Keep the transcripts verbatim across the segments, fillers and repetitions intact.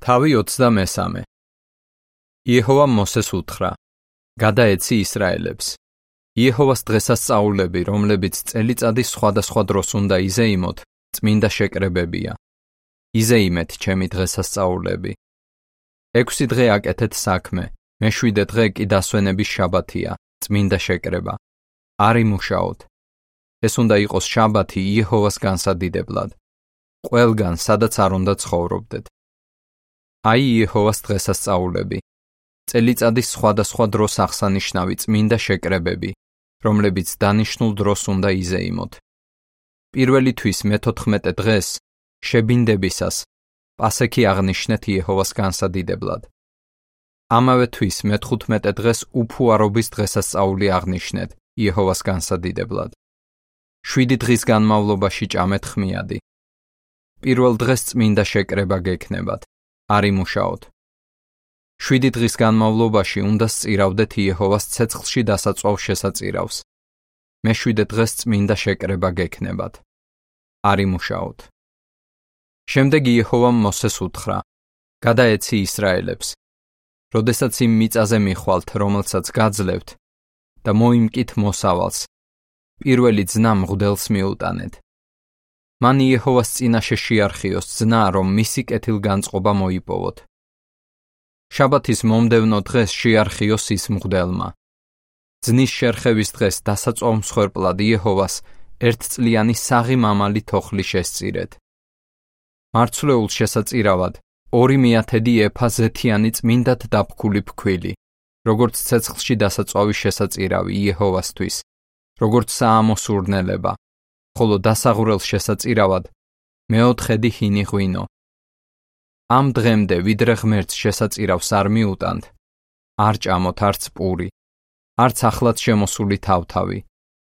თავი ოცდამესამე. იეჰოვამ მოსეს უთხრა: გადაეცი ისრაელებს. იეჰოვას დღესასწაულები, რომლებიც წელიწადის სხვადასხვა დროს უნდა იზეიმოთ, წმინდა შეკრებებია. იზეიმეთ ჩემი დღესასწაულები. ექვსი დღე აკეთეთ საქმე, მეშვიდე დღე კი დასვენების შაბათია, წმინდა შეკრება. არ იმუშაოთ. ეს უნდა იყოს შაბათი იეჰოვას განსადიდებლად. ყველგან, სადაც არ უნდა ცხოვრობდეთ. აი იეჰოვას დღესასწაულები. წელიწადის სხვადასხვა დროს აღსანიშნავი წმინდა შეკრებები, რომლებიც დანიშნულ დროს უნდა იზეიმოთ. პირველი თვის მეთოთხმეტე დღეს, შებინდებისას, პასექი აღნიშნეთ იეჰოვას განსადიდებლად. ამავე თვის მეთხუთმეტე დღეს უფუარობის დღესასწაული აღნიშნეთ იეჰოვას განსადიდებლად. შვიდი დღის განმავლობაში ჭამეთ ხმიადი. პირველ დღეს წმინდა შეკრება გექნებათ, არ იმუშაოთ. შვიდი დღის განმავლობაში უნდა სწირავდეთ იეჰოვას ცეცხლში დასაწვავ შესაწირავს. მეშვიდე დღეს წმინდა შეკრება გექნებათ, არ იმუშაოთ. შემდეგ იეჰოვამ მოსეს უთხრა: გადაეცი ისრაელებს. როდესაც იმ მიწაზე მიხვალთ, რომელსაც გაძლევთ, და მოიმკით მოსავალს, პირველი ძნა მღვდელს მიუტანეთ. მან იეჰოვას წინაშე შეარხიოს ძნა, რომ მისი კეთილგანწყობა მოიპოვოთ. შაბათის მომდევნო დღეს შეარხიოს ის მღვდელმა. ძნის შერხევის დღეს დასაწვავ მსხვერპლად იეჰოვას ერთწლიანი საღი მამალი თოხლი შესწირეთ. მარცვლეულ შესაწირავად ორი მეათედი ეფა ზეთიანი წმინდად დაფქული ფქვილი, როგორც ცეცხლში დასაწვავი შესაწირავი იეჰოვასთვის, როგორც საამოსურნელება, ხოლო დასაღვრელ შესაწირავად მეოთხედი ჰინი ღვინო. ამ დღემდე ვიდრე ღმერთს შესაწირავს არ მიუტანთ, არ ჭამოთ არც პური, არც ახლად შემოსული თავთავი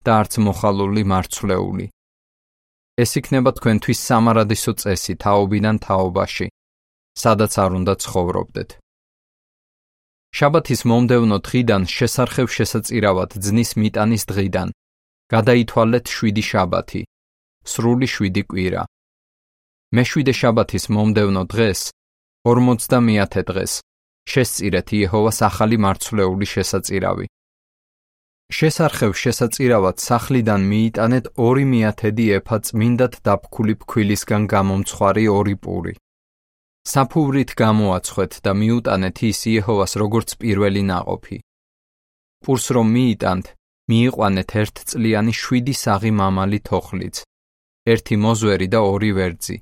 და არც მოხალული მარცვლეული. ეს იქნება თქვენთვის სამარადისო წესი თაობიდან თაობაში, სადაც არ უნდა ცხოვრობდეთ. შაბათის მომდევნო დღიდან შესარხევ შესაწირავად ძნის მიტანის დღიდან გადაითვალეთ შვიდი შაბათი, სრული შვიდი კვირა. მეშვიდე შაბათის მომდევნო დღეს, ორმოცდამეათე დღეს, შესწირეთ იეჰოვას ახალი მარცვლეული შესაწირავი. შესარხევ შესაწირავად სახლიდან მიიტანეთ ორი მეათედი ეფა წმინდად დაფქული ფქვილისგან გამომცხვარი ორი პური. საფუვრით გამოაცხვეთ და მიუტანეთ ის იეჰოვას როგორც პირველი ნაყოფი. პურს რომ მიიტანთ, მიიყვანეთ ერთწლიანი შვიდი საღი მამალი თოხლიც, ერთი მოზვერი და ორი ვერძი.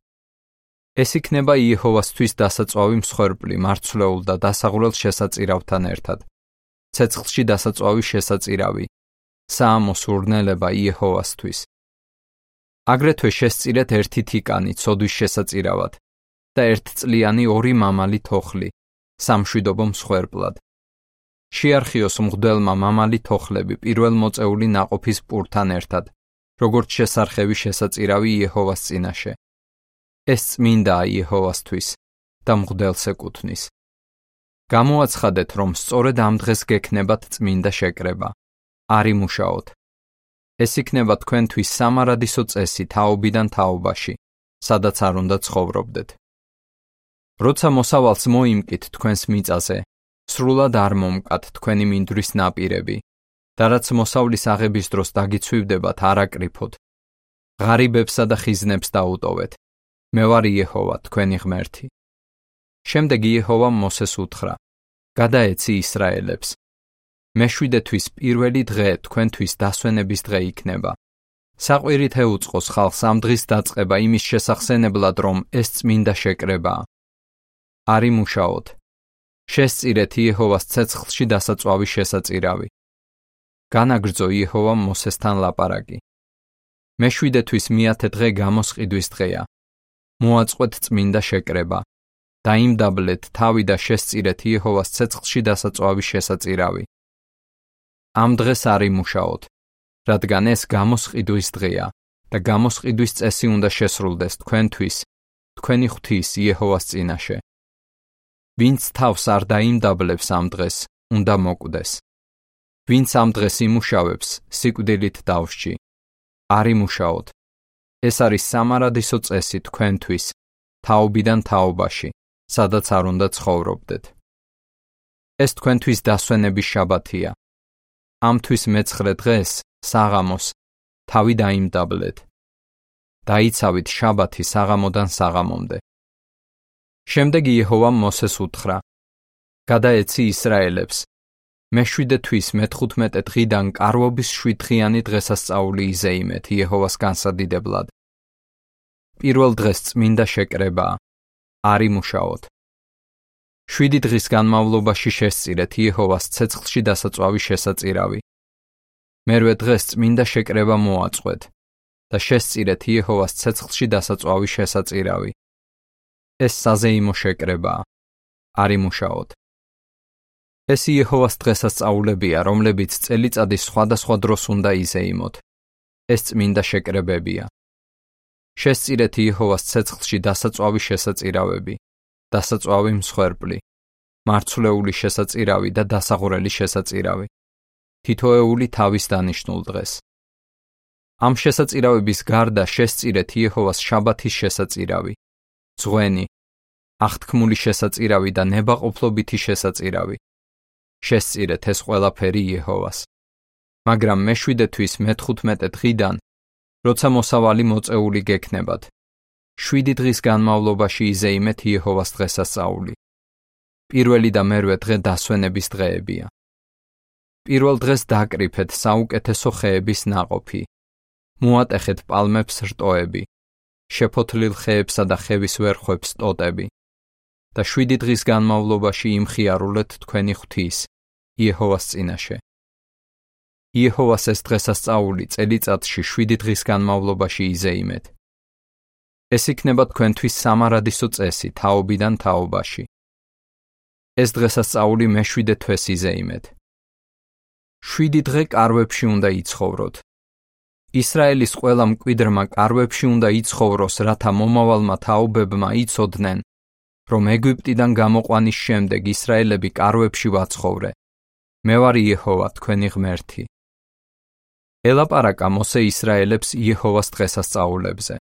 ეს იქნება იეჰოვასთვის დასაწვავი მსხვერპლი მარცვლეულ და დასაღვრელ შესაწირავთან ერთად. ცეცხლში დასაწვავი შესაწირავი, საამოსურნელება იეჰოვასთვის. აგრეთვე შესწირეთ ერთი თიკანი ცოდვის შესაწირავად და ერთწლიანი ორი მამალი თოხლი, სამშვიდობო მსხვერპლად. შეარხიოს მღვდელმა მამალი თოხლები პირველ მოწეული ნაყოფის პურთან ერთად, როგორც შესარხევი შესაწირავი იეჰოვას წინაშე. ეს წმინდაა იეჰოვასთვის და მღვდელს ეკუთვნის. გამოაცხადეთ, რომ სწორედ ამ დღეს გექნებათ წმინდა შეკრება. არ იმუშაოთ. ეს იქნება თქვენთვის სამარადისო წესი თაობიდან თაობაში, სადაც არ უნდა ცხოვრობდეთ. როცა მოსავალს მოიმკით თქვენს მიწაზე, სრულად არ მომკათ თქვენი მინდვრის ნაპირები, და რაც მოსავლის აღების დროს დაგიცვივდებათ, არ აკრიფოთ. ღარიბებსა და ხიზნებს დაუტოვეთ. მე ვარ იეჰოვა, თქვენი ღმერთი. შემდეგ იეჰოვამ მოსეს უთხრა: გადაეცი ისრაელებს. მეშვიდე თვის პირველი დღე თქვენთვის დასვენების დღე იქნება. საყვირით ეუწყოს ხალხს ამ დღის დაწყება იმის შესახსენებლად, რომ ეს წმინდა შეკრებაა. არ იმუშაოთ. შესწირეთ იეჰოვას ცეცხლში დასაწვავი შესაწირავი. განაგრძო იეჰოვამ მოსესთან ლაპარაკი. მეშვიდე თვის მეათე დღე გამოსყიდვის დღეა. მოაწყვეთ წმინდა შეკრება. დაიმდაბლეთ თავი და შესწირეთ იეჰოვას ცეცხლში დასაწვავი შესაწირავი. ამ დღეს არ იმუშაოთ, რადგან ეს გამოსყიდვის დღეა და გამოსყიდვის წესი უნდა შესრულდეს თქვენთვის, თქვენი ღვთის იეჰოვას წინაშე. ვინც თავს არ დაიმდაბლებს ამ დღეს, უნდა მოკვდეს. ვინც ამ დღეს იმუშავებს, სიკვდილით დავსჯი. არ იმუშაოთ. ეს არის სამარადისო წესი თქვენთვის, თაობიდან თაობაში, სადაც არ უნდა ცხოვრობდეთ. ეს თქვენთვის დასვენების შაბათია. ამთვის მეცხრე დღეს, საღამოს, თავი დაიმდაბლეთ. დაიცავით შაბათი საღამოდან საღამომდე. შემდეგ იეჰოვამ მოსეს უთხრა: გადაეცი ისრაელებს, მეშვიდე თვის მეთხუთმეტე დღიდან კარვობის შვიდდღიანი დღესასწაული იზეიმეთ იეჰოვას განსადიდებლად. პირველ დღეს წმინდა შეკრებაა, არ იმუშაოთ. შვიდი დღის განმავლობაში შესწირეთ იეჰოვას ცეცხლში დასაწვავი შესაწირავი. მერვე დღეს წმინდა შეკრება მოაწყვეთ და შესწირეთ იეჰოვას ცეცხლში დასაწვავი შესაწირავი. ეს საზეიმო შეკრებაა, არ იმუშაოთ. ეს იეჰოვას დღესასწაულებია, რომლებიც წელიწადის სხვადასხვა დროს უნდა იზეიმოთ. ეს წმინდა შეკრებებია. შესწირეთ იეჰოვას ცეცხლში დასაწვავი შესაწირავები, დასაწვავი მსხვერპლი, მარცვლეული შესაწირავი და დასაღვრელი შესაწირავი, თითოეული თავის დანიშნულ დღეს. ამ შესაწირავების გარდა შესწირეთ იეჰოვას შაბათის შესაწირავი, ძღვენი, აღთქმული შესაწირავი და ნებაყოფლობითი შესაწირავი. შესწირეთ ეს ყველაფერი იეჰოვას. მაგრამ მეშვიდე თვის მეთხუთმეტე დღიდან, როცა მოსავალი მოწეული გექნებათ, შვიდი დღის განმავლობაში იზეიმეთ იეჰოვას დღესასწაული. პირველი და მერვე დღე დასვენების დღეებია. პირველ დღეს დაკრიფეთ საუკეთესო ხეების ნაყოფი, მოატეხეთ პალმებს რტოები, შეფოთლილ ხეებსა და ხევის ვერხვებს ტოტები და შვიდი დღის განმავლობაში იმხიარულეთ თქვენი ღვთის, იეჰოვას წინაშე. იეჰოვას ეს დღესასწაული წელიწადში შვიდი დღის განმავლობაში იზეიმეთ. ეს იქნება თქვენთვის სამარადისო წესი თაობიდან თაობაში. ეს დღესასწაული მეშვიდე თვეს იზეიმეთ. შვიდი დღე კარვებში უნდა იცხოვროთ. ისრაელის ყველა მკვიდრმა კარვებში უნდა იცხოვროს, რათა მომავალმა თაობებმა იცოდნენ, რომ ეგვიპტიდან გამოყვანის შემდეგ ისრაელები კარვებში ვაცხოვრე. მე ვარ იეჰოვა, თქვენი ღმერთი. ელაპარაკა მოსე ისრაელებს იეჰოვას დღესასწაულებზე.